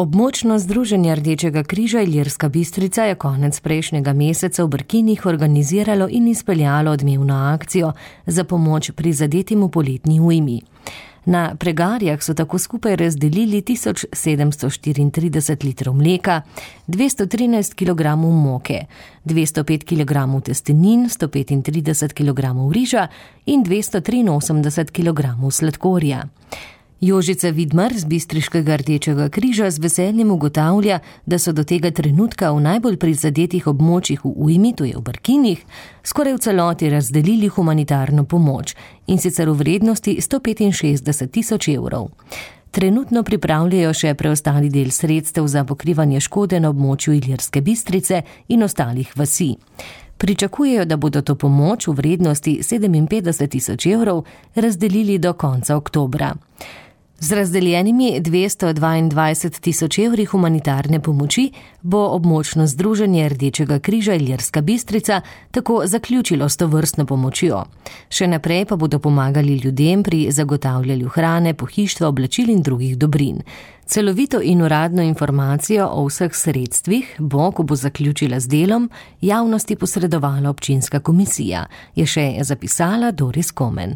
Območno združenje Rdečega križa Ilirska Bistrica je konec prejšnjega meseca v Brkinih organiziralo in izpeljalo odmevno akcijo za pomoč prizadetim v poletni ujmi. Na pregarjah so tako skupaj razdelili 1734 litrov mleka, 213 kg moke, 205 kg testenin, 135 kg riža in 283 kg sladkorja. Jožica Vidmar z Bistriškega Rdečega križa z veseljem ugotavlja, da so do tega trenutka v najbolj prizadetih območjih v ujmi, to je v Brkinih, skoraj v celoti razdelili humanitarno pomoč, in sicer v vrednosti 165 tisoč evrov. Trenutno pripravljajo še preostali del sredstev za pokrivanje škode na območju Ilirske Bistrice in ostalih vasi. Pričakujejo, da bodo to pomoč v vrednosti 57 tisoč evrov razdelili do konca oktobra. Z razdeljenimi 222 tisoč evri humanitarne pomoči bo območno združenje Rdečega križa Ilirska Bistrica tako zaključilo s tovrstno pomočjo. Še naprej pa bodo pomagali ljudem pri zagotavljanju hrane, pohištva, oblačil in drugih dobrin. Celovito in uradno informacijo o vseh sredstvih bo, ko bo zaključila z delom, javnosti posredovala občinska komisija, je še zapisala Doris Komen.